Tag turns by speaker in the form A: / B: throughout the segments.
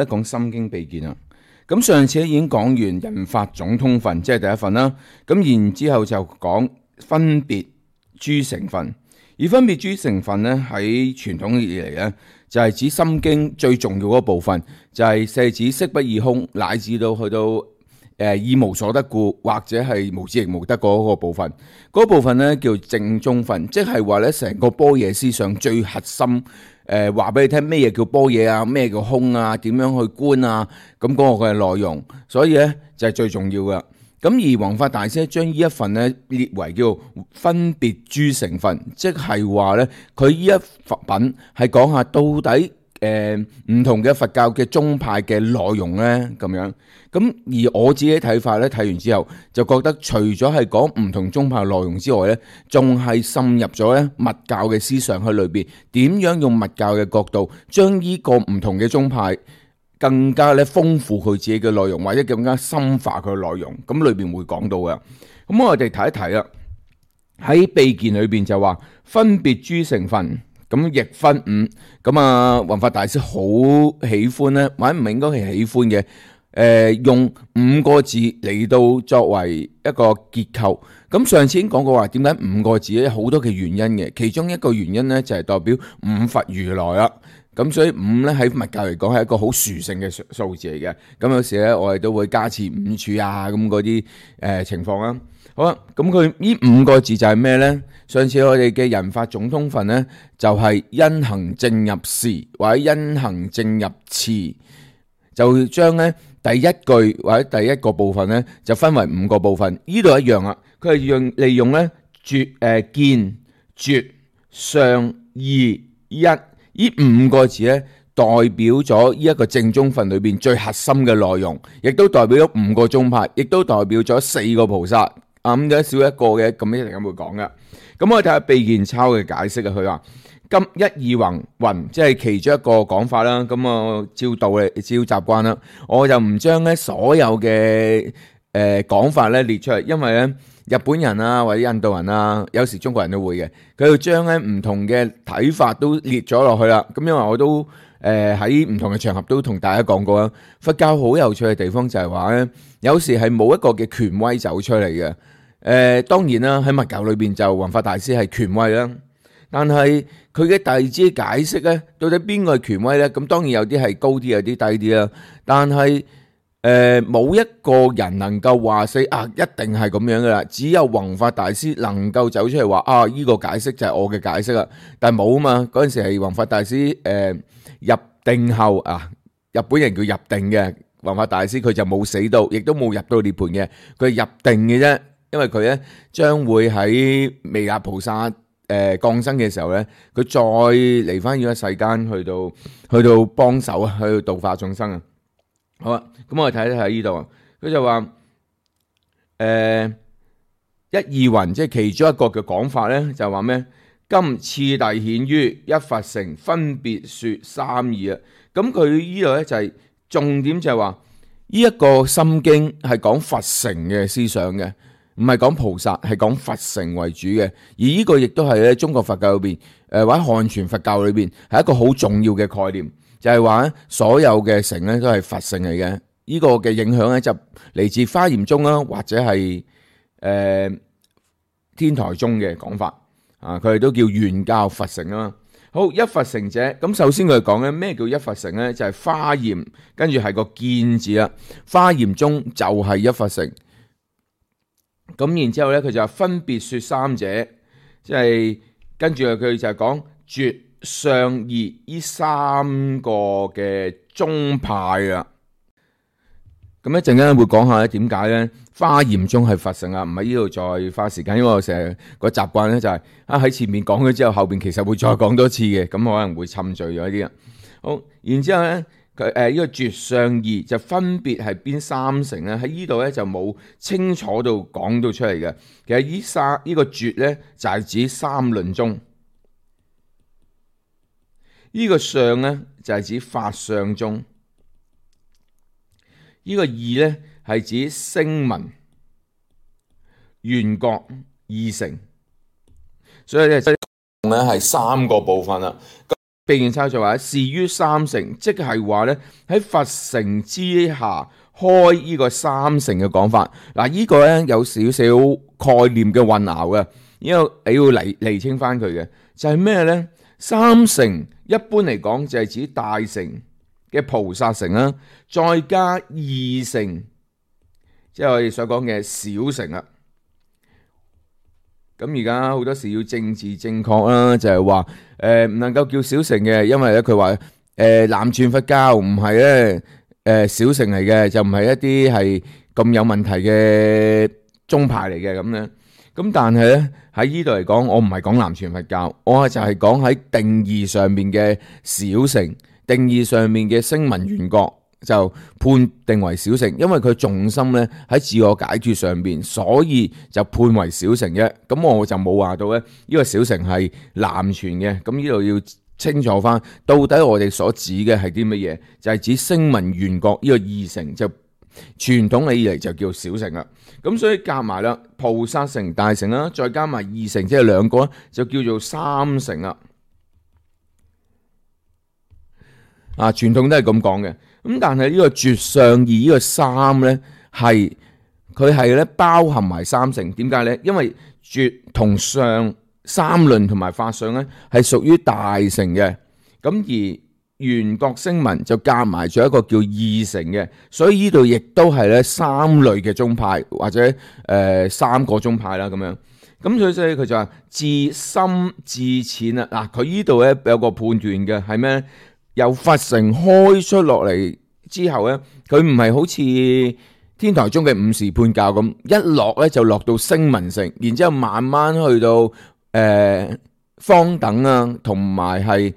A: 講心經秘見啦。咁上次已經講完人法總通分，即係第一份啦。咁然之後就講分別諸成分，而分別諸成分咧喺傳統以嚟咧，就係指心經最重要嗰部分，就係舍子色不異空，乃至到去到意無所得故，或者係無智亦無得嗰個部分。嗰部分咧叫正宗分，即係話咧成個般若思想最核心。話俾你聽咩嘢叫般若啊，咩叫空啊，點樣去觀啊，咁嗰個嘅內容，所以咧就係最重要嘅。咁而弘法大師將呢一份咧列為叫分別諸成分，即係話咧佢呢一品係講下到底唔同嘅佛教嘅宗派嘅內容咧咁樣。咁而我自己睇法咧，睇完之後就覺得除咗係講唔同宗派內容之外咧，仲係滲入咗咧密教嘅思想喺裏邊，點樣用密教嘅角度將呢個唔同嘅宗派更加咧豐富佢自己嘅內容，或者更加深化佢嘅內容，咁裏邊會講到嘅。咁我哋睇一睇啦，喺秘見裏邊就話分別諸成分，咁亦分五。咁啊，弘法大師好喜歡咧，或者唔應該係喜歡嘅。用5個字嚟到作為一個結構。咁上次已經講過話，點解5個字咧？好多嘅原因嘅，其中一個原因咧就係代表五佛如來啦。咁所以5咧喺密教嚟講係一個好殊勝嘅數字嚟嘅。咁有時咧我哋都會加持5處啊，咁嗰啲情況啦。好啦，咁佢呢5個字就係咩咧？上次我哋嘅人法總通分咧，就係因行正入時或者因行正入次，就將咧第一句或者第一個部分咧，就分為5個部分。呢度一樣啦，佢係利用咧見、絕、相、義、一呢5個字咧，代表咗呢一個正宗分裏邊最核心嘅內容，亦都代表咗5個宗派，亦都代表咗4個菩薩。咁有少一個嘅，咁一定咁會講嘅。咁我哋睇下秘見抄嘅解釋啊，佢話今一二云，即係其中一個講法啦。咁我照道嚟，照習慣啦，我就唔將咧所有嘅講法咧列出嚟，因為咧日本人啊或者印度人啊，有時中國人都會嘅，佢要將咧唔同嘅睇法都列咗落去啦。咁因為我都喺唔同嘅場合都同大家講過啦，佛教好有趣嘅地方就係話咧，有時係冇一個嘅權威走出嚟嘅。當然啦，喺密教裏邊就弘法大師係權威啦，但係佢嘅弟子解釋咧，到底邊個係權威咧？咁當然有啲係高啲，有啲低啲啦。但係冇一個人能夠話死啊，一定係咁樣噶啦。只有弘法大師能夠走出嚟話啊，呢個解釋就係我嘅解釋啦。但係冇啊嘛，嗰陣時係弘法大師入定後啊，日本人叫入定嘅弘法大師，佢就冇死到，亦都冇入到涅槃嘅，佢係入定嘅啫。因為佢咧將會喺彌勒菩薩降生嘅時候咧，佢再嚟翻呢個世間，去到幫手啊，去到度化眾生啊。好啊，咁我哋睇睇呢度啊，佢就話一二云，即係其中一個嘅講法咧，就話咩？今次第顯於一佛乘，分別說三義啊。咁佢呢度咧就係重點，就係話呢一個心經係講佛乘嘅思想嘅。唔係講菩薩，係講佛乘為主嘅。而呢個亦都係咧中國佛教裏邊，或者漢傳佛教裏邊係一個好重要嘅概念，就係話所有嘅乘咧都係佛乘嚟嘅。呢個嘅影響咧就嚟自華嚴宗啦，或者係天台宗嘅講法啊，佢哋都叫原教佛乘啊。好，一佛乘者，咁首先佢講咧咩叫一佛乘咧？就係華嚴，跟住係個見字啦。華嚴宗就係一佛乘。咁然之後咧，佢就分別說三者，即係跟住佢就係講絕、相、義呢3個嘅宗派啊。咁一陣間會講下咧點解咧華嚴宗係佛乘啊，唔喺呢度再花時間，因為我成日個習慣咧就係喺前面講咗之後，後邊其實會再講多次嘅，咁可能會侵罪咗啲啊。好，然之後咧。呢個絕、相、義就分別係邊3乘咧？喺呢度咧就冇清楚到講到出嚟嘅。其實呢個絕咧就係指三論宗，呢個相咧就係指法相宗，呢個義咧係指聲聞、緣覺二乘。所以咧係3個部分啦。被驗抄就話事於三成，即係話咧喺佛成之下開呢個三成嘅講法。嗱，呢個咧有少少概念嘅混淆嘅，因為你要釐清翻佢嘅，就係咩咧？三成一般嚟講就係指大乘嘅菩薩乘啦，再加二乘，即係我哋所講嘅小乘啦。咁而家好多時要政治正確啦，就係話唔能夠叫小乘嘅，因為咧佢話南傳佛教唔係咧小乘嚟嘅，就唔係一啲係咁有問題嘅宗派嚟嘅咁樣。咁但係咧喺呢度嚟講，我唔係講南傳佛教，我就係講喺定義上面嘅小乘，定義上面嘅聲聞緣覺就判定為小乘，因為佢重心咧喺自我解脫上邊，所以就判為小乘嘅。咁我就冇話到咧呢個小乘係南傳嘅。咁呢度要清楚翻，到底我哋所指嘅係啲乜嘢？就係指聲聞緣覺呢個二乘，就傳統以嚟就叫小乘啦。咁所以夾埋啦，菩薩乘大乘啦，再加埋二乘，即係兩個就叫做三乘啦。傳統都係咁講嘅。咁但係呢個絕相二呢個三咧，佢係咧包含埋三乘。點解咧？因為絕同相三論同埋法相咧係屬於大乘嘅，咁而緣覺聲聞就夾埋咗一個叫二乘嘅，所以呢度亦都係咧三類嘅宗派或者三個宗派啦咁樣。咁所以佢就話自深至淺啊。佢呢度咧有個判斷嘅係咩？由佛乘開出落嚟之後咧，佢唔係好似天台宗嘅五時判教咁，一落咧就落到聲聞乘，然之後慢慢去到方等啊，同埋係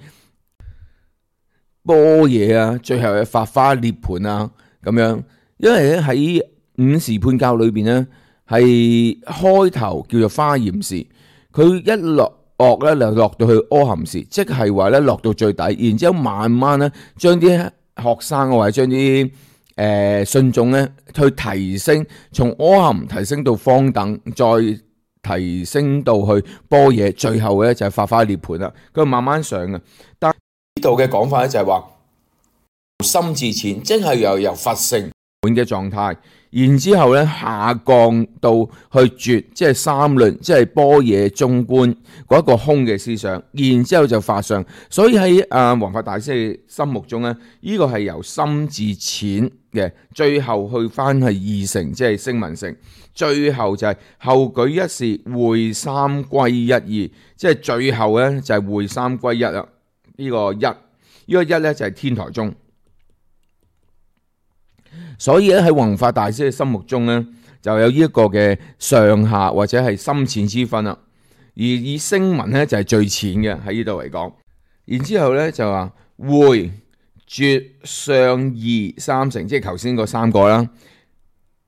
A: 般若啊，最後嘅法華涅槃啊咁樣。因為咧喺五時判教裏邊咧，係開頭叫做華嚴時，佢一落咧就落到去阿含時，即係話咧落到最底，然之後慢慢咧將啲學生或者將啲信眾咧去提升，從阿含提升到方等，再提升到去般若，最後咧就係法華涅槃啦。佢慢慢上嘅。但呢度嘅講法咧就係話深至淺，即係由佛乘滿嘅狀態，然之後咧下降到去絕，即係三論，即係般若中觀嗰一個空嘅思想，然之後就法相。所以喺弘法大師嘅心目中咧，呢個係由深至淺嘅，最後去翻係二乘，即係聲聞乘，最後就係後舉一事會三歸一義，即係最後咧就係會三歸一啦。呢個一咧就係天台宗。所以咧喺弘法大師嘅心目中咧，就有呢一個嘅上下或者係深淺之分啦。而以聲聞咧就係最淺嘅喺呢度嚟講。然之後咧就話會絕相二三乘，即係頭先嗰三個啦，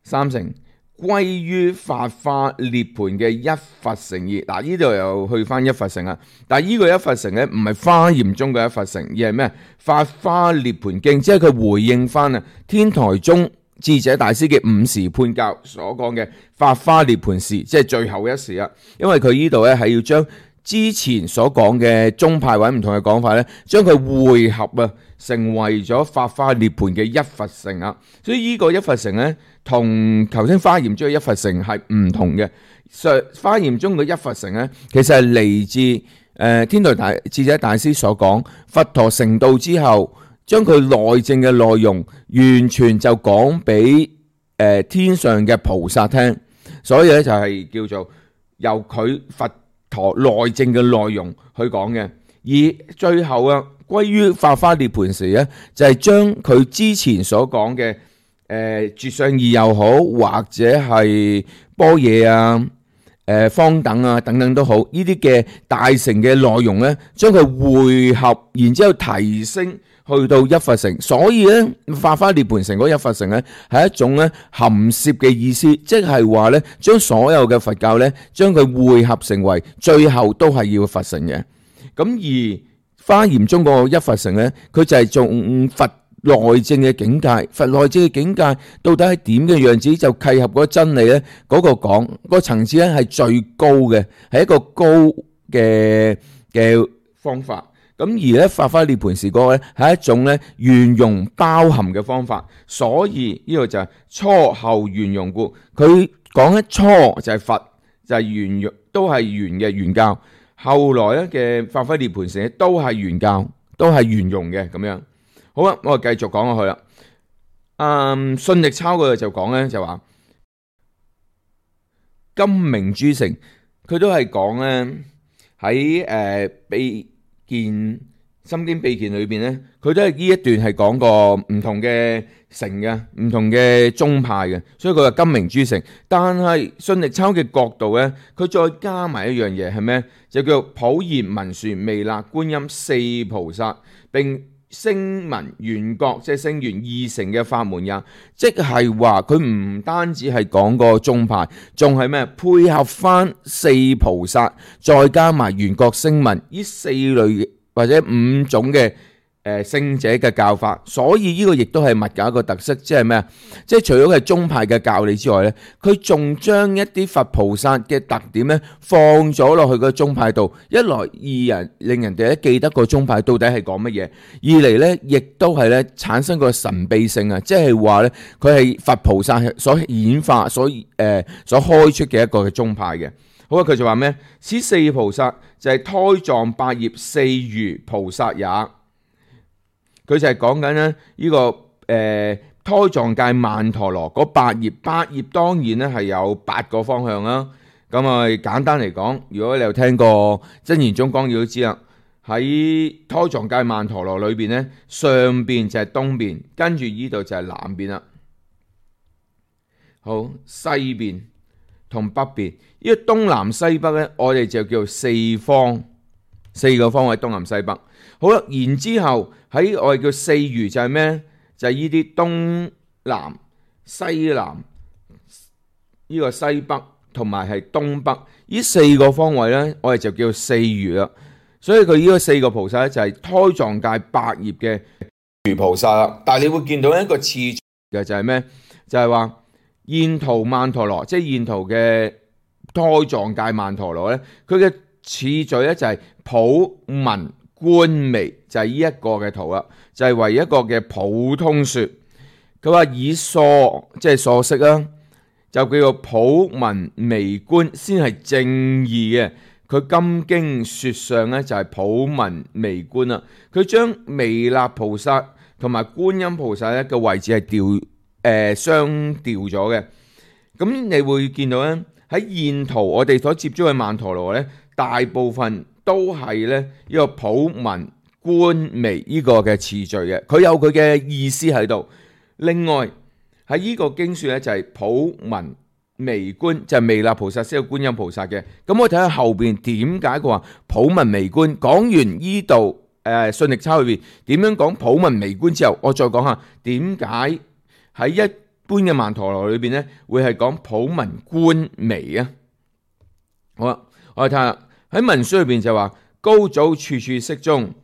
A: 三乘歸於法華涅槃嘅一佛乘義。嗱，呢度又去翻一佛乘啦。但係呢個一佛乘咧唔係華嚴中嘅一佛乘，而係咩？法華涅槃經，即係佢回應翻天台宗智者大師嘅五時判教所講嘅法華涅槃時，即係最後一時啦。因為佢呢度咧係要將之前所講嘅宗派或者唔同嘅講法咧，將佢匯合成為咗法華涅槃嘅一佛乘啊。所以呢個一佛乘咧，同頭先華嚴中嘅一佛乘係唔同嘅。華嚴中嘅一佛乘咧，其實係嚟自天台智者大師所講，佛陀成道之後，將佢內證嘅內容完全就講俾天上嘅菩薩聽，所以咧就係叫做由佢佛陀內證嘅內容去講嘅。而最後歸於法華涅槃時咧，就係將佢之前所講嘅絕相二又好，或者係般若方等等等都好，呢啲嘅大乘嘅內容咧，將佢匯合，然之後提升去到一佛乘。所以咧，法華涅槃乘嗰一佛乘咧，係一種咧含攝嘅意思，即係話咧，將所有嘅佛教咧，將佢匯合成為最後都係要佛乘嘅。咁而華嚴中個一佛乘咧，佢就係從佛內證嘅境界，佛內證嘅境界到底係點嘅樣子，就契合嗰真理咧，嗰個講個層次咧係最高嘅，係一個高嘅方法。咁而咧發揮涅槃時光咧係一種咧圓融包含嘅方法，所以呢個就係初後圓融故。佢講咧初就係佛，就係圓融，都係圓嘅圓教。後來咧嘅發揮涅槃時都係圓教，都係圓融嘅咁樣。好啦，我哋繼續講落去啦。信力抄佢就講咧就話金明諸城，佢都係講咧喺秘見心經秘見裏邊咧，佢都係呢一段係講過唔同嘅城嘅，唔同嘅宗派嘅，所以佢話金明諸城。但係信力抄嘅角度咧，佢再加埋一樣嘢係咩？就叫普賢文殊彌勒觀音四菩薩，並聲聞緣覺，即係聲聞二乘嘅法門也。即係話佢唔單止係講個宗派，仲係咩？配合翻四菩薩，再加埋緣覺聲聞呢四類或者五種嘅聖者嘅教法。所以呢個亦都係密教一個特色，即係咩啊？即係除咗係宗派嘅教理之外咧，佢仲將一啲佛菩薩嘅特點咧放咗落去個宗派度。一來令人哋咧記得個宗派到底係講乜嘢；二嚟咧亦都係咧產生個神秘性啊！即係話咧佢係佛菩薩所演化、所開出嘅一個嘅宗派嘅。好啊，佢就話咩？此四菩薩就係胎藏百業四如菩薩也。佢就係講緊咧呢個胎藏界曼陀羅嗰八業，八業當然咧係有八個方向啦。咁啊簡單嚟講，如果你有聽過真言宗綱要都知啦，喺胎藏界曼陀羅裏邊咧，上邊就係東邊，跟住呢度就係南邊啦。好，西邊同北邊，呢個東南西北咧，我哋就叫做四方，四個方位東南西北。好啦，然之後喺我哋叫四如就係咩？就係呢啲東南、西南、呢個西北同埋係東北呢四個方位咧，我哋就叫四如啦。所以佢呢個四個菩薩咧就係胎藏界百業嘅如菩薩啦。但係你會見到一個次序嘅就係咩？就係話現圖曼陀羅，即係現圖嘅胎藏界曼陀羅咧，佢嘅次序咧就係普文觀微，就係呢一個嘅圖啦，就係為一個嘅普通說。佢話以疏即係疏釋啦，就叫做普文微觀先係正義嘅。佢金經說上咧就係普文微觀啦。佢將彌勒菩薩同埋觀音菩薩咧嘅位置係相調咗嘅。咁你會見到咧喺現圖我哋所接觸嘅曼陀羅咧，大部分都係咧呢個普文觀微呢個嘅次序嘅，佢有佢嘅意思喺度。另外喺呢個經說咧就係普文微觀，就係彌勒菩薩先有觀音菩薩嘅。咁我睇下後邊點解佢話普文微觀。講完呢度信力抄裏邊點樣講普文微觀之後，我再講下點解喺一般嘅曼陀羅裏邊咧會係講普文觀微啊。好啦，我哋睇下喺文書裏邊就話高祖處處釋中，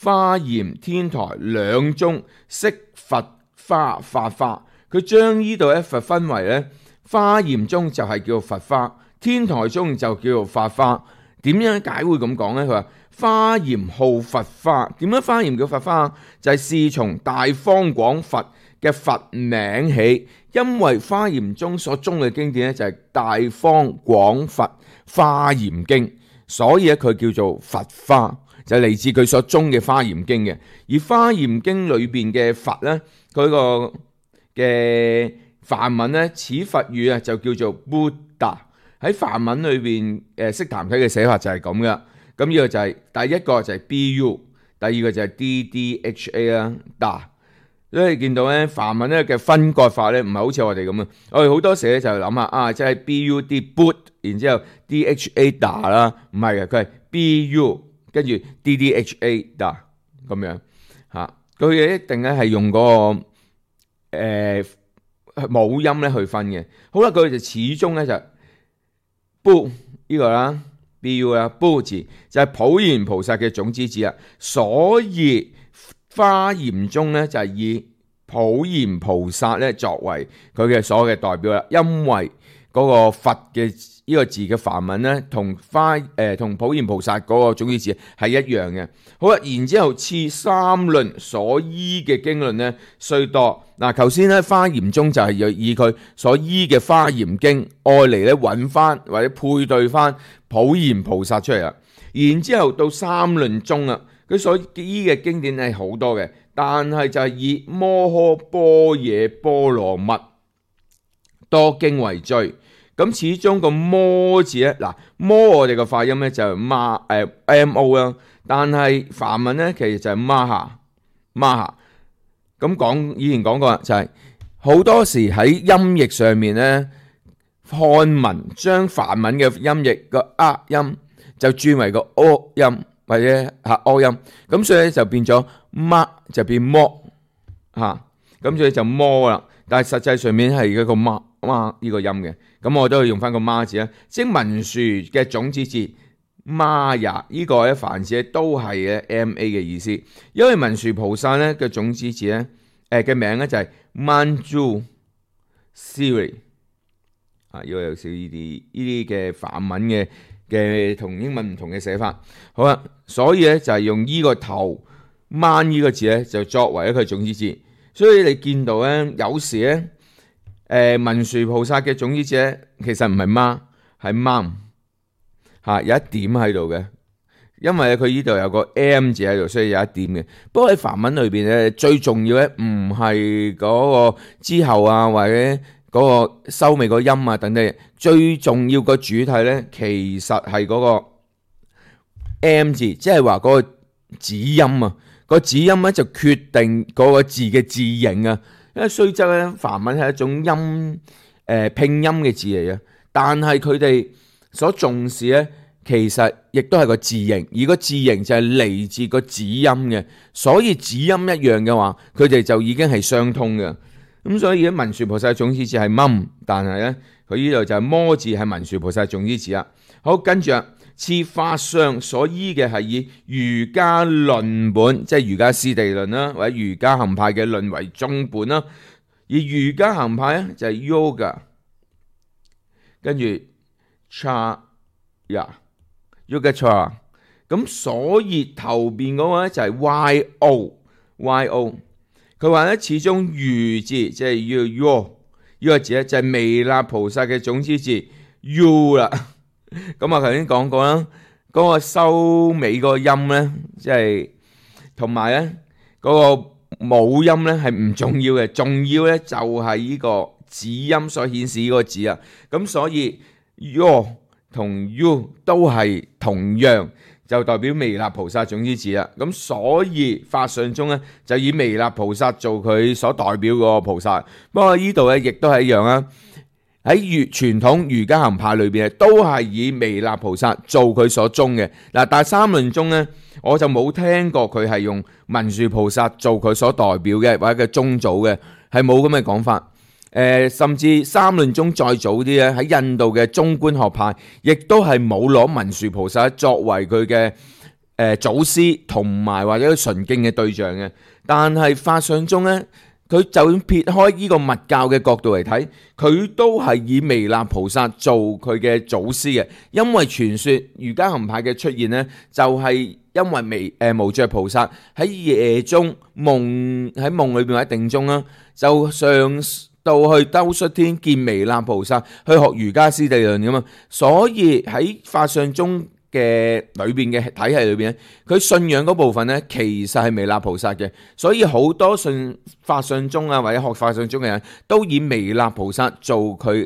A: 華嚴天台兩中釋佛華法華。佢將呢度一佛分為咧，華嚴中就係叫佛華，天台中就叫做法華。點樣解會咁講咧？佢話華嚴號佛華，點樣華嚴叫佛華？就係是從大方廣佛嘅佛名起，因為華嚴中所中嘅經典咧就係大方廣佛華嚴經，所以咧佢叫做佛華，就係嚟自佢所中嘅華嚴經嘅。而華嚴經裏邊嘅佛咧，佢個嘅梵文咧，此佛語啊就叫做 Buddha。喺梵文裏邊悉檀體嘅寫法就係咁噶。咁呢個就係第一個就係 BU， 第二個就係 DDHA 啦，Da。所以見到咧梵文咧嘅分割法咧唔係好似我哋咁啊。我哋好多時咧就諗下啊，即係 BUD Boot， 然之後 DHA Da 啦，唔係嘅，佢係 BU 跟住 DDHA Da 咁樣嚇。佢哋一定咧係用嗰個母音咧去分嘅。好啦，佢哋就始終咧就Bu 呢個啦 ，Bu 啦 ，Bu 字就係普賢菩薩嘅種子字啊。所以華嚴中咧就係以普賢菩薩咧作為佢嘅所有嘅代表啦。因為嗰個佛嘅呢個字嘅梵文咧，同同普賢菩薩嗰個種子字係一樣嘅。好啦，然之後次三論所依嘅經論咧雖多。嗱，頭先咧華嚴宗就係要以佢所依嘅華嚴經愛嚟咧揾翻或者配對翻普賢菩薩出嚟啦。然之後到三論宗啦，佢所依嘅經典係好多嘅，但係就係以摩訶般若波羅蜜多經為最。咁始終個摩字咧，嗱摩我哋個發音咧就係mo 啦，但係梵文咧其實就係maha。咁以前講過就係好多時喺音譯上面咧，漢文將梵文嘅音譯個音就轉為個 o 音或者o 音，咁所以就變咗 ma 就變摩咁所以就摩啦。但係實際上面係一個 ma 呢個音嘅，咁我都要用翻個 ma 字啦，即文殊嘅種子字 Maya 呢個咧梵字都係嘅 ma 嘅意思，因為文殊菩薩咧嘅種子字咧嘅名咧就係 Manjusri 因為有少呢啲嘅梵文嘅同英文唔同嘅寫法。好啦，所以咧就係用呢個頭 man 呢個字咧就作為一個種子字，所以你見到咧有時咧文殊菩薩嘅種子字咧其實唔係 ma 係 mam 有一點喺度嘅，因為佢呢度有個 m 字喺度，所以有一點嘅。不過喺梵文裏邊咧，最重要咧唔係嗰個之後或者嗰個收尾個音等等，最重要個主體咧其實係嗰個 m 字，即係話嗰個子音個子音咧就決定嗰個字嘅字形啊。因為雖則咧梵文係一種拼音嘅字嚟嘅，但係佢哋所重視咧，其實亦都係個字形，而個字形就係嚟自個子音嘅，所以子音一樣嘅話，佢哋就已經係相通嘅。咁所以咧，文殊菩薩種子字係冧，但係咧佢呢度就係摩字係文殊菩薩種子字啦。好，跟住次法相所依嘅係以瑜伽論本，即係瑜伽師地論啦，或者瑜伽行派嘅論為宗本啦。而瑜伽行派咧就係 yoga， 跟住 chaya。yoga， 咁所以頭邊嗰個咧就係 yo， 佢話咧始終瑜字即係 yo 呢個字咧就係彌勒菩薩嘅種子字 u 啦。咁我頭先講過啦，嗰個收尾個音咧，即係同埋咧嗰個母音咧係唔重要嘅，重要咧就係呢個子音所顯示呢個字啊。咁所以 yo同 u 都係同樣，就代表彌勒菩薩種子字啦。咁所以法相宗咧就以彌勒菩薩做佢所代表個菩薩。不過呢度咧亦都係一樣啦。喺傳統瑜伽行派裏邊都係以彌勒菩薩做佢所宗嘅。嗱，但係三論宗咧，我就冇聽過佢係用文殊菩薩做佢所代表嘅或者嘅宗祖嘅，係冇咁嘅講法。甚至三論宗再早啲咧，喺印度嘅中觀學派，亦都係冇攞文殊菩薩作為佢嘅祖師同埋或者純敬嘅對象嘅。但係法相宗咧，佢就算撇開呢個密教嘅角度嚟睇，佢都係以彌勒菩薩做佢嘅祖師嘅。因為傳說瑜伽行派嘅出現呢，就係因為無著菩薩喺夜中喺夢裏邊或者定中啦，就上到去兜率天見彌勒菩薩去學瑜伽師地論噶嘛，所以喺法相宗嘅裏邊嘅體系裏邊，佢信仰嗰部分咧，其實係彌勒菩薩嘅，所以好多信法相宗或者學法相宗嘅人都以彌勒菩薩做佢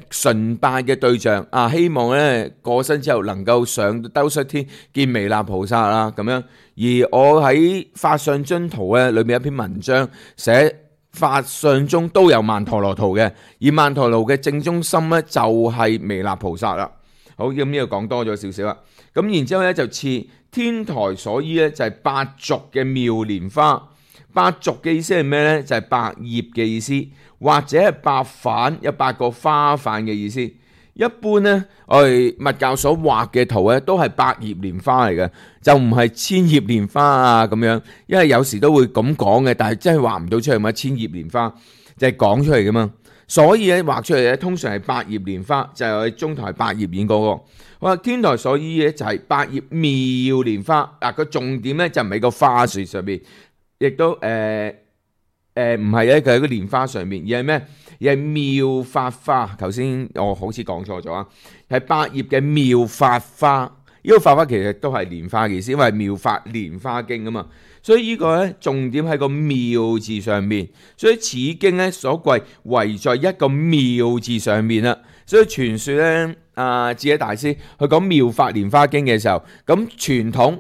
A: 崇拜嘅對象啊，希望咧過身之後能夠上兜率天見彌勒菩薩啦咁樣。而我喺法相宗圖咧裏面有一篇文章寫法相宗都有曼陀羅圖嘅，而曼陀羅嘅正中心咧就係彌勒菩薩啦。好，咁呢度講多咗少少啦。咁然之後咧就次天台所依咧就係八軸嘅妙蓮花。八軸嘅意思係咩咧？就係百葉嘅意思，或者係八瓣，有8個花瓣嘅意思。一般咧，我哋密教所畫嘅圖咧都係百葉蓮花嚟嘅，就唔係千葉蓮花啊咁樣。因為有時都會咁講嘅，但係真係畫唔到出嚟嘛，千葉蓮花。就係講出嚟噶嘛。所以咧畫出嚟咧，通常係百葉蓮花，就係我哋中台百葉演嗰個。好啦，天台所依咧就係百葉妙蓮花。嗱，個重點咧就唔係個花樹上邊，亦都唔係咧，佢喺個蓮花上面，而係咩？而係妙法花。頭先我好似講錯咗啊，係百葉嘅妙法花。呢個法花其實都係蓮花嘅意思，因為妙法蓮花經啊嘛。所以呢個咧重點喺個妙字上面。所以此經咧所貴唯在一個妙字上面啦。所以傳說咧，智者大師去講妙法蓮花經嘅時候，咁傳統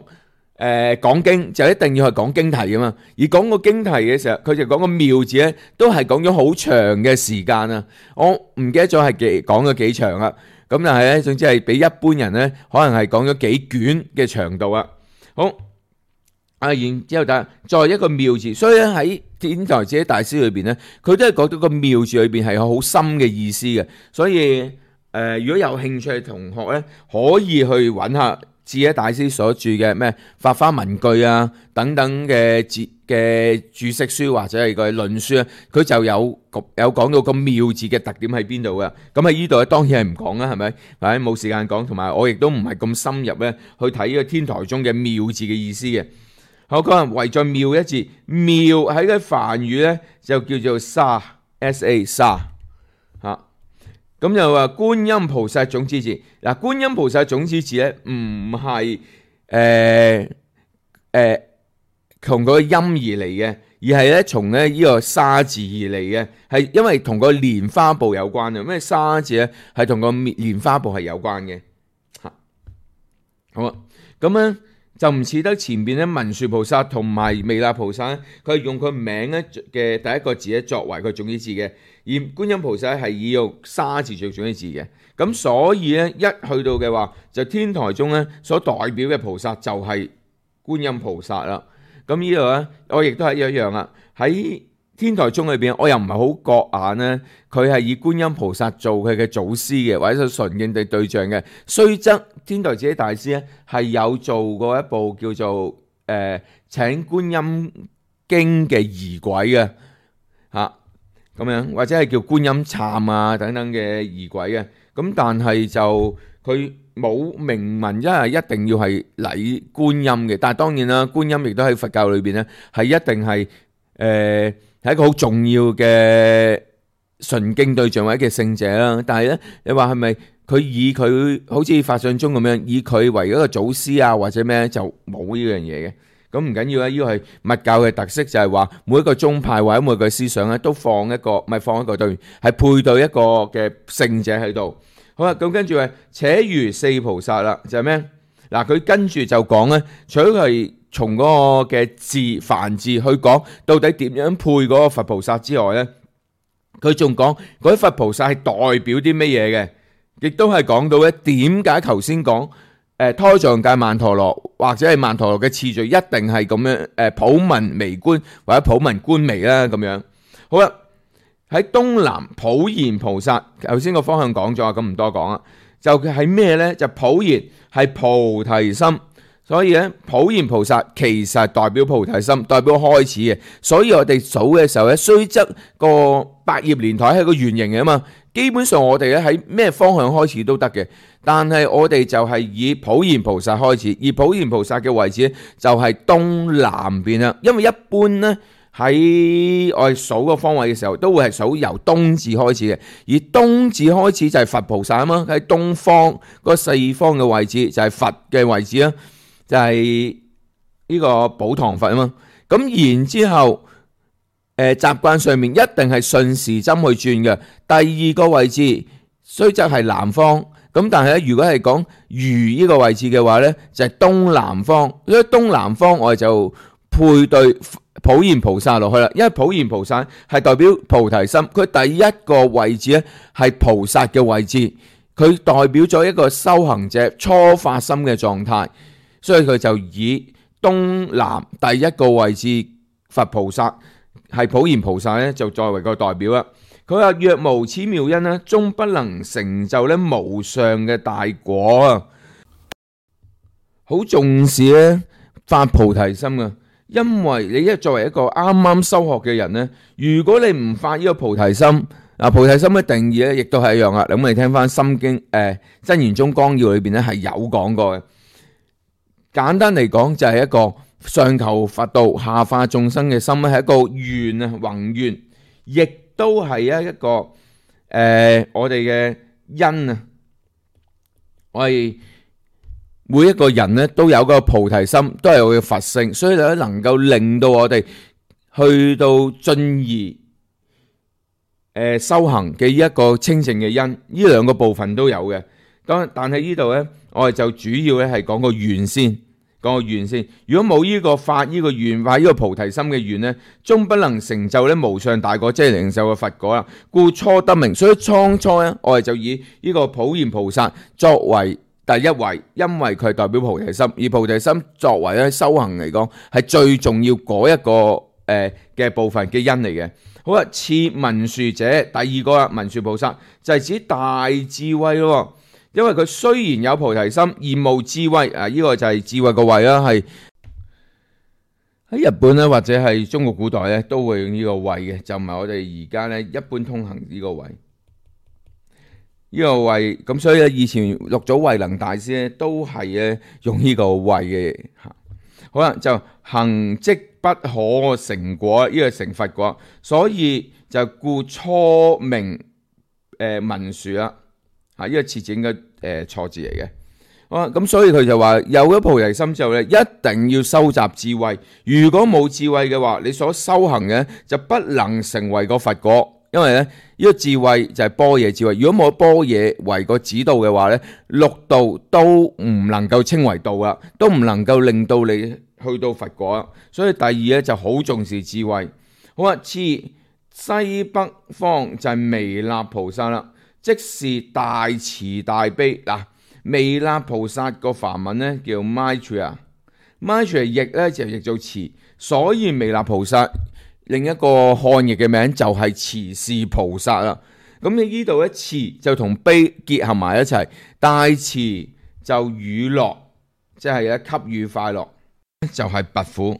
A: 講經就一定要係講經題噶嘛。而講個經題嘅時候，佢就講個妙字咧，都係講咗好長嘅時間啊。我唔記得咗係講咗幾長啦。咁但係咧，總之係比一般人咧，可能係講咗幾卷嘅長度啊。好。然之後再一個妙字，所以咧喺天台智者大師裏邊咧，佢都係講到個妙字裏邊係有好深嘅意思嘅。所以如果有興趣嘅同學咧，可以去揾下智者大師所著嘅咩法花文句啊等等嘅注釋書或者係個論書啊，佢就有講到個妙字嘅特點喺邊度嘅。咁喺呢度咧當然係唔講啦，係咪？或者冇時間講，同埋我亦都唔係咁深入咧去睇呢個天台中嘅妙字嘅意思嘅。好，可能為咗妙一字，妙喺個梵語咧就叫做沙 ，sa 沙嚇。咁就話觀音菩薩種子字。嗱，觀音菩薩種子字咧唔係從個音而嚟嘅，而係咧從咧呢個沙字而嚟嘅，係因為同個蓮花部有關嘅。咩沙字咧係同個蓮花部係有關嘅嚇。好啊，咁咧。就唔似得前邊咧文殊菩薩同埋彌勒菩薩，佢係用佢名咧嘅第一個字咧作為佢種子字嘅，而觀音菩薩係以用沙字做種子字嘅。咁所以咧一去到嘅話，就天台中咧所代表嘅菩薩就係觀音菩薩啦。咁呢度咧，我亦都係一樣啦。喺天台宗裏邊，我又唔係好覺眼咧，佢係以觀音菩薩做佢嘅祖師嘅，或者純敬嘅對象嘅。雖則天台智者大師咧係有做過一部叫做請觀音經嘅儀軌嘅嚇，咁樣或者係叫觀音懺啊等等嘅儀軌嘅。咁但係就佢冇明文一定要係禮觀音嘅。但係當然啦，觀音亦都喺佛教裏邊咧係一定係係一個好重要嘅純敬對象或者嘅聖者啦。但係咧，你話係咪佢以佢好似法相宗咁樣，以佢為一個祖師啊或者咩就冇呢樣嘢嘅？咁唔緊要啦，呢個係密教嘅特色，就係話每一個宗派或者每個思想咧都放一個，唔係放一個對，係配對一個嘅聖者喺度。好啦，咁跟住係且如四菩薩啦，就係咩？嗱，佢跟住就講咧，除咗係從嗰個嘅字梵字去講到底點樣配嗰個佛菩薩之外咧，佢仲講嗰啲佛菩薩係代表啲乜嘢嘅，亦都係講到咧點解頭先講胎藏界曼陀羅或者係曼陀羅嘅次序一定係咁樣普文微觀或者普文觀微啦咁樣。好啦，喺東南普賢菩薩，頭先個方向講咗，咁唔多講啦。就係咩咧？就普賢係菩提心。所以咧，普賢菩薩其實代表菩提心，代表開始嘅。所以我哋數嘅時候咧，雖則個百葉蓮台係個圓形嘅嘛，基本上我哋咧喺咩方向開始都得嘅。但係我哋就係以普賢菩薩開始，而普賢菩薩嘅位置就係東南邊啦。因為一般咧喺我哋數個方位嘅時候，都會係數由東字開始嘅，而東字開始就係佛菩薩啊嘛，喺東方嗰四方嘅位置就係佛嘅位置啦。就係呢個寶堂佛啊嘛，咁然之後習慣上面一定係順時針去轉嘅。第二個位置雖則係南方，咁但係咧，如果係講如呢個位置嘅話咧，就係東南方。所以東南方我哋就配對普賢菩薩落去啦，因為普賢菩薩係代表菩提心，佢第一個位置咧係菩薩嘅位置，佢代表咗一個修行者初發心嘅狀態。所以佢就以東南第一個位置佛菩薩係普賢菩薩咧，就作為個代表啦。佢話若無此妙因咧，終不能成就咧無上嘅大果啊！好重視咧發菩提心啊！因為你作為一個啱啱修學嘅人呢，如果你唔發呢個菩提心，菩提心嘅定義咧，亦都係一樣啦。咁我哋聽翻《心經》真言宗綱要裏邊咧係有講過嘅。簡單嚟講，就係一個上求佛道、下化眾生嘅心咧，係一個願啊，宏願，亦都係一個我哋嘅因啊。我哋每一個人咧都有個菩提心，都係我嘅佛性，所以咧能夠令到我哋去到進而修行嘅一個清淨嘅因，呢兩個部分都有嘅。但係呢度咧，我哋就主要咧係講個願先，講個願先。如果冇呢個發呢個願，發呢個菩提心嘅願咧，終不能成就咧無上大果，即係領受嘅佛果啦。故初得名，所以初咧，我哋就以呢個普賢菩薩作為第一位，因為佢係代表菩提心，而菩提心作為咧修行嚟講係最重要嗰一個嘅部分嘅因嚟嘅。好啦，次文殊者，第二個啦，文殊菩薩就係指大智慧咯。因為佢雖然有菩提心而無智慧，呢個就係智慧個慧啦，係喺日本咧或者係中國古代咧都會用呢個慧嘅，就唔係我哋而家咧一般通行呢個慧。呢個慧咁，所以咧以前六祖慧能大師咧都係咧用呢個慧嘅。好啦，就行即不可成果，呢個成佛果，所以就故初名文殊啦。呢個設置應該錯字嚟嘅。咁所以佢就話有咗菩提心之後咧，一定要收集智慧。如果冇智慧嘅話，你所修行嘅就不能成為個佛果。因為咧呢個智慧就係般若智慧。如果冇般若為個指導嘅話咧，六道都唔能夠稱為道啦，都唔能夠令到你去到佛果啦。所以第二咧就好重視智慧。好啊，次西北方就係彌勒菩薩啦，即是大慈大悲。嗱，彌勒菩薩個梵文咧叫 Maitreya， Maitreya 譯咧就譯做慈，所以彌勒菩薩另一個漢譯嘅名就係慈氏菩薩啦。咁你呢度咧慈就同悲結合埋一齊，大慈就與樂，即係咧給予快樂，就係拔苦。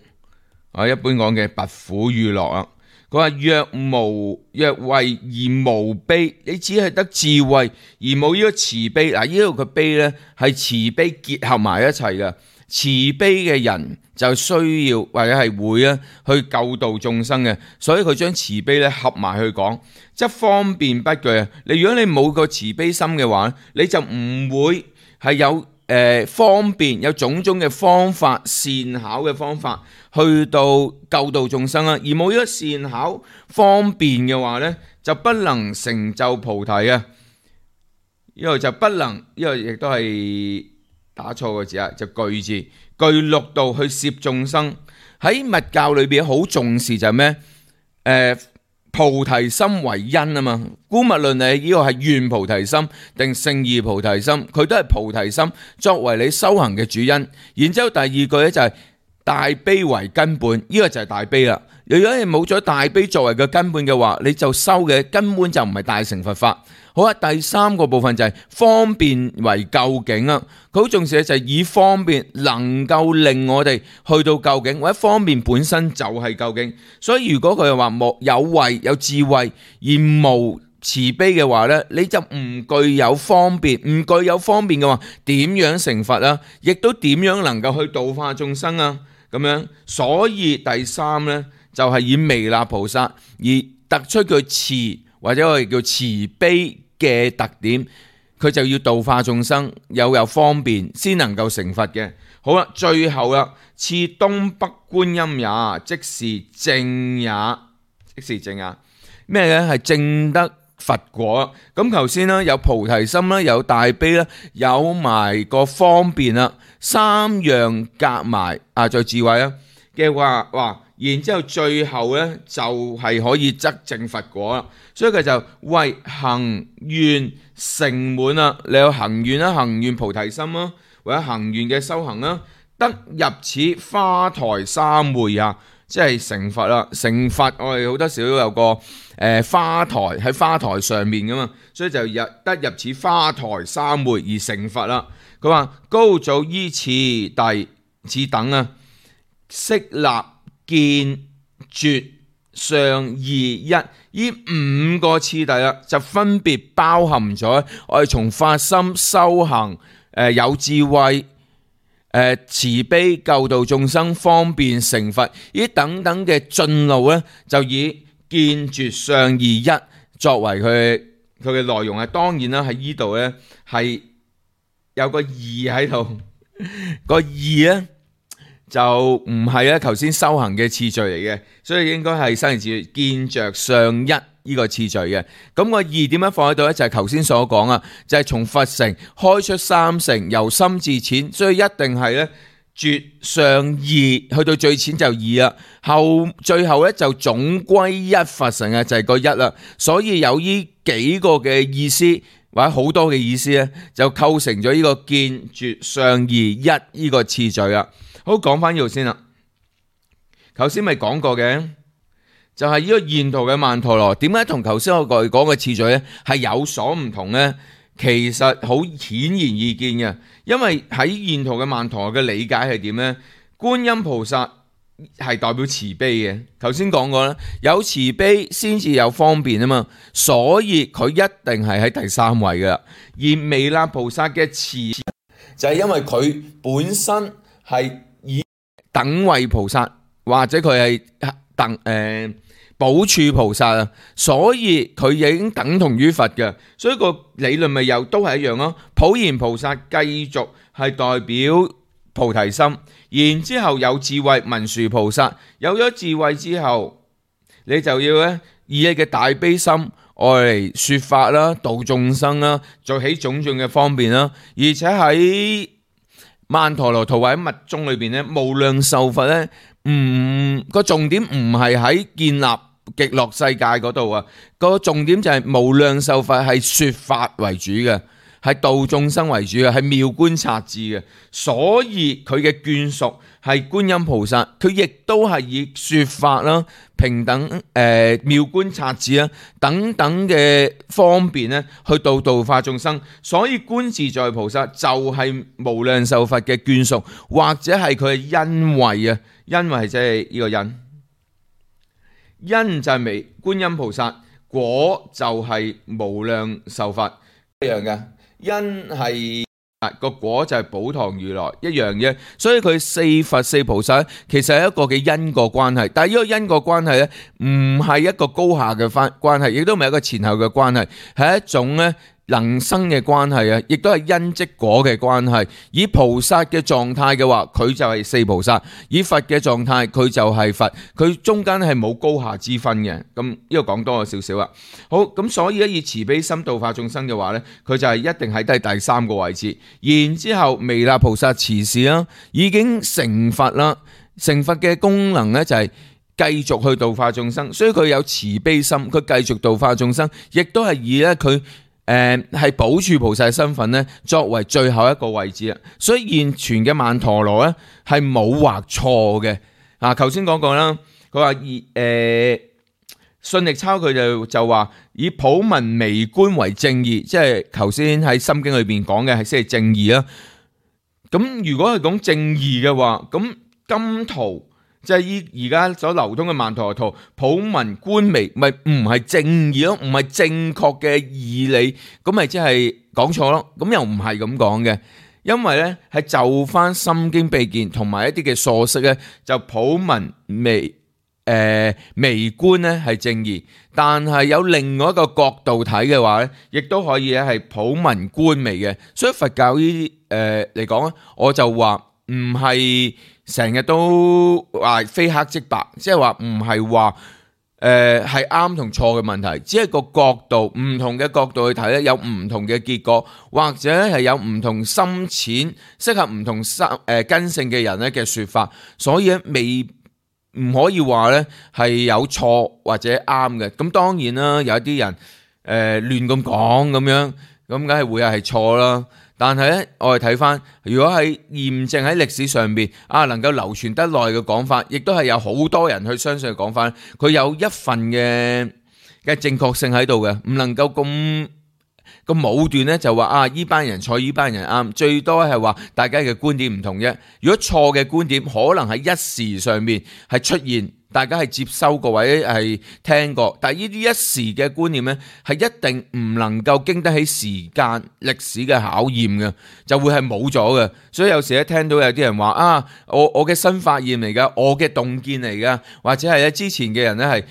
A: 我一般講嘅拔苦與樂啊。佢話若慧而無悲，你只係得智慧而冇呢個慈悲。嗱，呢度嘅悲咧係慈悲結合埋一齊嘅。慈悲嘅人就需要或者係會去救度眾生嘅，所以佢將慈悲咧合埋去講，即方便不懼啊！如果你冇個慈悲心嘅話，你就唔會係有方便，有種種嘅方法，善巧嘅方法去到救度眾生啊！而冇呢個善巧方便嘅話咧，就不能成就菩提啊！呢個就不能，呢個亦都係打錯個字啊，就具字，具六道去攝眾生。喺密教裏邊好重視就係咩？菩提心為因啊嘛。姑勿論你呢個係願菩提心定勝義菩提心，佢都係菩提心作為你修行嘅主因。然之後第二句咧就係大悲為根本，呢個就係大悲啦。如果你冇咗大悲作為嘅根本嘅話，你就修嘅根本就唔係大乘佛法。好啊，第三個部分就係方便為究竟啊！佢好重視嘅就係以方便能夠令我哋去到究竟，或者方便本身就係究竟。所以如果佢話有慧有智慧而無慈悲嘅話呢，你就唔具有方便，唔具有方便嘅話，點樣成佛啊？亦都點樣能夠去度化眾生啊？咁樣，所以第三呢，就係以彌勒菩薩而突出佢慈或者我哋叫慈悲嘅特點，佢就要度化眾生，有方便先能夠成佛嘅。好啦，最後啦，次東北觀音也，即是正也，即是正也。咩咧？係正得佛果。咁頭先啦，有菩提心啦，有大悲啦，有埋個方便啦，三樣夾埋再智慧啦嘅話，哇！然之後最後咧就係可以得證佛果啦，所以佢就為行願成滿啦。你有行願啦，行願菩提心啦，或者行願嘅修行啦，得入此花台三會啊，即係成佛啦。成佛我哋好多時都有個花台喺花台上面噶嘛，所以就得入此花台三會而成佛啦。佢話高祖依次第此等啊，悉立見、絕、上、義、一，呢五個次第啦，就分別包含咗我哋從發心、修行、有智慧、慈悲、救度眾生、方便成佛呢等等嘅進路咧，就以見、絕、上、義、一作為佢嘅內容啊。當然啦，喺呢度咧係有個義喺度，個義咧就唔係咧頭先修行嘅次序嚟嘅，所以應該係生起次序見着上一呢個次序嘅。咁個義點樣放喺度咧？就係頭先所講啊，就係從佛乘開出三乘，由深至淺，所以一定係咧絕上義，去到最淺就義啦。最後咧就總歸一佛乘啊，就係個一啦。所以有呢幾個嘅意思或者好多嘅意思咧，就構成咗呢個見、絕、上、義、一呢個次序啦。好，講翻呢度先啦。頭先咪講過嘅，就係呢個現圖嘅曼陀羅，點解同頭先我講嘅次序咧係有所唔同呢？其實好顯而易見嘅，因為喺現圖嘅曼陀羅嘅理解係點呢？觀音菩薩係代表慈悲嘅，頭先講過啦，有慈悲先至有方便啊嘛，所以佢一定係喺第三位噶。而彌勒菩薩嘅慈就係因為佢本身係以等位菩薩或者佢係寶柱菩薩啊，所以佢已經等同於佛嘅，所以個理論咪又都係一樣咯。普賢菩薩繼續係代表菩提心，然之後有智慧文殊菩薩，有咗智慧之後，你就要咧以你嘅大悲心愛嚟說法啦，度眾生啦，做起種種嘅方便啦，而且喺曼陀羅圖或者密宗裏邊咧，無量壽佛咧，個重點唔係喺建立極樂世界嗰度啊，個重點就係無量壽佛係說法為主嘅，係度眾生為主嘅，係妙觀察智嘅，所以佢嘅眷屬係觀音菩薩，佢亦都係以說法啦、平等妙觀察智啦等等嘅方便咧，去度化眾生。所以觀自在菩薩就係無量壽佛嘅眷屬，或者係佢嘅恩惠啊，恩惠即係呢個恩。因就係觀音菩薩，果就係無量壽佛一樣嘅。因係個果就係寶堂如來一樣嘅，所以佢四佛四菩薩其實係一個嘅因果關係，但係呢個因果關係咧唔係一個高下嘅關係，亦都唔係一個前後嘅關係，係一種咧能生嘅關係啊，亦都係因即果嘅關係。以菩薩嘅狀態嘅話，佢就係四菩薩；以佛嘅狀態，佢就係佛。佢中間係冇高下之分嘅。咁呢個講多咗少少啦。好，咁所以咧以慈悲心度化眾生嘅話咧，佢就係一定喺第三個位置。然之後彌勒菩薩慈氏啦，已經成佛啦。成佛嘅功能咧就係繼續去度化眾生，所以佢有慈悲心，佢繼續度化眾生，亦都係以咧佢係寶柱菩薩嘅身份咧，作為最後一個位置啦。所以現存嘅曼陀羅咧係冇畫錯嘅。頭先講過啦，佢話信力抄佢就話以普文微觀為正義，即係頭先喺心經裏邊講嘅係先係正義啦。咁如果係講正義嘅話，咁今圖即係而家所流通嘅曼陀羅圖，普文觀微，咪唔係正義咯，唔係正確嘅義理，咁咪即係講錯咯。咁又唔係咁講嘅，因為咧係就翻心經秘見同埋一啲嘅疏釋咧，就普文微觀咧係正義，但係有另外一個角度睇嘅話咧，亦都可以咧係普文觀微嘅。所以佛教呢嚟講咧，我就話唔係成日都話非黑即白，即係話唔係話係啱同錯嘅問題，只係個角度唔同嘅角度去睇咧，有唔同嘅結果，或者係有唔同深淺適合唔同根性嘅人咧嘅說法，所以未唔可以話咧係有錯或者啱嘅。咁當然啦，有一啲人亂咁講咁樣，咁梗係會係錯啦。但係咧，我哋睇翻，如果係驗證喺歷史上邊能夠流傳得耐嘅講法，亦都係有好多人去相信嘅講法，佢有一份嘅正確性喺度嘅，唔能夠咁個武斷咧就話依班人錯，依班人啱，最多係話大家嘅觀點唔同啫。如果錯嘅觀點可能喺一時上面係出現，大家係接收過或者係聽過，但係呢啲一時嘅觀念咧係一定唔能夠經得起時間歷史嘅考驗嘅，就會係冇咗嘅。所以有時咧聽到有啲人話我嘅新發現嚟㗎，我嘅洞見嚟㗎，或者係咧之前嘅人咧係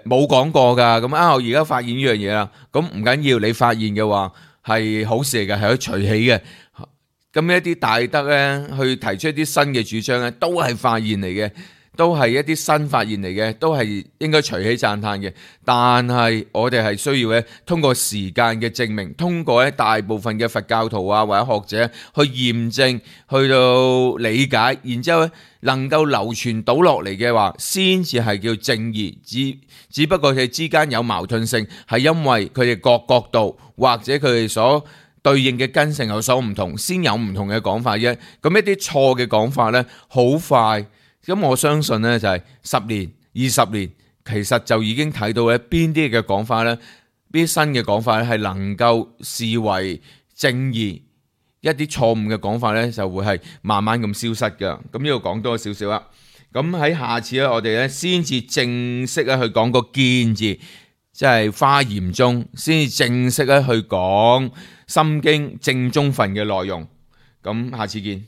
A: 冇講過㗎，咁我而家發現呢樣嘢啦，咁唔緊要，你發現嘅話係好事嚟嘅，係可以隨喜嘅。咁一啲大德咧去提出一啲新嘅主張咧，都係發現嚟嘅，都係一啲新發現嚟嘅，都係應該隨喜讚嘆嘅。但係我哋係需要咧通過時間嘅證明，通過咧大部分嘅佛教徒啊或者學者去驗證，去到理解，然之後咧能夠流傳到落嚟嘅話，先至係叫正義。只不過佢哋之間有矛盾性，係因為佢哋各角度或者佢哋所對應嘅根性有所唔同，先有唔同嘅講法啫。咁一啲錯嘅講法咧，好快。咁我相信咧就係10年、20年，其實就已經睇到咧邊啲嘅講法咧，邊啲新嘅講法咧係能夠視為正義，一啲錯誤嘅講法咧就會係慢慢咁消失㗎。咁呢度講多少少啦。咁喺下次咧，我哋咧先至正式咧去講個見字，即係華嚴中先至正式咧去講心經正宗分嘅內容。咁下次見。